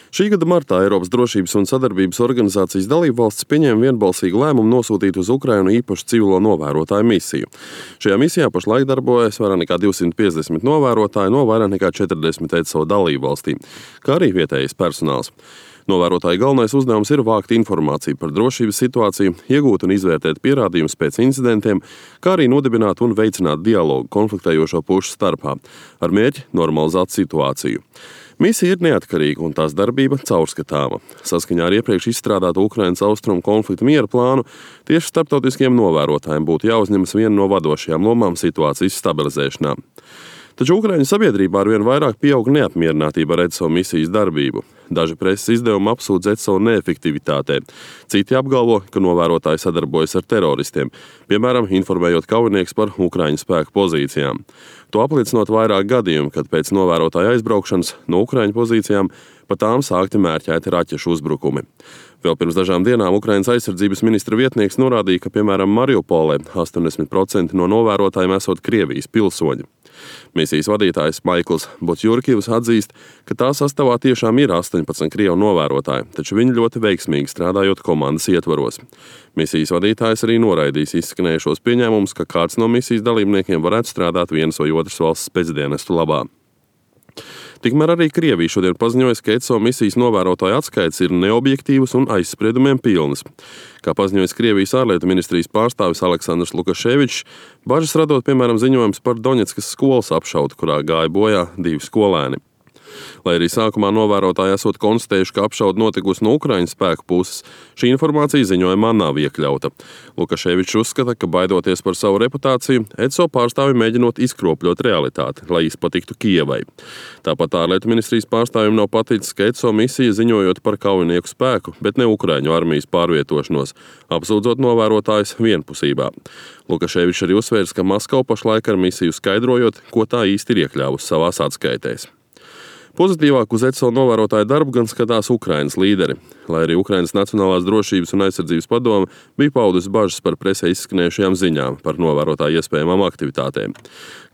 Šī gada martā Eiropas drošības un sadarbības organizācijas dalībvalstis pieņēma vienbalsīgu lēmumu nosūtīt uz Ukrainu īpašu civilo novērotāju misiju. Šajā misijā pašlaik darbojas vairāk nekā 250 novērotāji no vairāk nekā 40 ECO dalībvalstīm, kā arī vietējais personāls. Novērotāju galvenais uzdevums ir vākt informāciju par drošības situāciju, iegūt un izvērtēt pierādījumus pēc incidentiem, kā arī nodibināt un veicināt dialogu konfliktējošo pušu starpā, ar mērķi normalizēt situāciju. Misija ir neatkarīga un tās darbība caurskatāma. Saskaņā ar iepriekš izstrādātu Ukrainas austrumu konflikta miera plānu, tieši starptautiskiem novērotājiem būtu jāuzņemas viena no vadošajām lomām situācijas stabilizēšanā. Taču Ukraiņu sabiedrībā arvien vairāk pieaug neapmierinātība ar ECO misijas darbību. Daži preses izdevumi apsūdz ECO neefektivitātē. Citi apgalvo, ka novērotāji sadarbojas ar teroristiem, piemēram, informējot kaujinieks par Ukraiņu spēku pozīcijām. To apliecinot vairāk gadījumu, kad pēc novērotāja aizbraukšanas no Ukraiņu pozīcijām pa tām sākti mērķēti raķešu uzbrukumi. Vēl pirms dažām dienām Ukrainas aizsardzības ministra vietnieks norādīja, ka, piemēram, Mariupolē 80% no novērotājiem esot Krievijas pilsoņi. Misijas vadītājs Maikls Botjurkivs atzīst, ka tā sastāvā tiešām ir 18 krievu novērotāji, taču viņi ļoti veiksmīgi strādājot komandas ietvaros. Misijas vadītājs arī noraidīs izskanējušos pieņēmumus, ka kāds no misijas dalībniekiem varētu strādāt vienas vai otras valsts spēcdienestu labā. Tikmēr arī Krievija šodien paziņojas, ka ECO misijas novērotāju atskaites ir neobjektīvas un aizspriedumiem pilnas. Kā paziņojas Krievijas ārlietu ministrijas pārstāvis Aleksandrs Lukaševičs, bažas radot, piemēram, ziņojums par Doņetskas skolas apšaudu, kurā gāja bojā 2 skolēni. Lai arī sākumā novērotāji esot konstatējuši, ka apšaude notikusi no Ukraiņu spēku puses, šī informācija ziņojumā nav iekļauta. Lukaševičs uzskata, ka baidoties par savu reputāciju, ECO pārstāvi mēģinot izkropļot realitāti, lai izpatiktu Kijevai. Tāpat ārlietu ministrijas pārstāvjiem nav paticis, ka ECO misija ziņojot par kaujinieku spēku, bet ne Ukraiņu armijas pārvietošanos, apsūdzot novērotājus vienpusībā. Lukaševičs arī uzsvērs, ka Maskava pašlaik ar misiju skaidrojot, ko tā īsti ir iekļāvusi savās atskaitēs. Pozitīvāk uz ECO novērotāju darbu gan skatās Ukrainas līderi, lai arī Ukrainas Nacionālās drošības un aizsardzības padome bija paudusi bažas par presē izskanējušajām ziņām par novērotāju iespējamām aktivitātēm.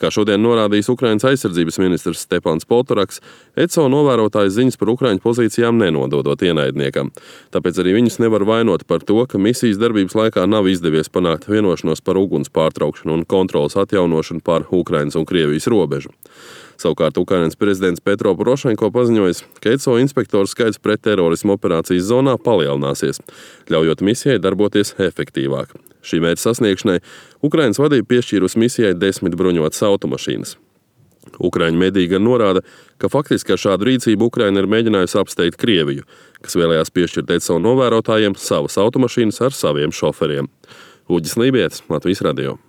Kā šodien norādījis Ukrainas aizsardzības ministrs Stepans Poltoraks, ECO novērotāju ziņas par Ukraiņu pozīcijām nenododot ienaidniekam. Tāpēc arī viņus nevar vainot par to, ka misijas darbības laikā nav izdevies panākt vienošanos par uguns pārtraukšanu un kontrolas atjaunošanu pār Ukrainas un Krievijas robežu. Savukārt Ukrainas prezidents Petro Porošenko paziņojis, ka ECO inspektoru skaits pret terorismu operācijas zonā palielināsies, ļaujot misijai darboties efektīvāk. Šī mērķa sasniegšanai Ukrainas vadība piešķīrusi misijai 10 bruņotas automašīnas. Ukraiņu mediji gan norāda, ka faktiski ar šādu rīcību Ukraina ir mēģinājusi apsteigt Krieviju, kas vēlējās piešķirt ECO novērotājiem savas automašīnas ar saviem šoferiem. Uģis Lībietis, Latvijas radio.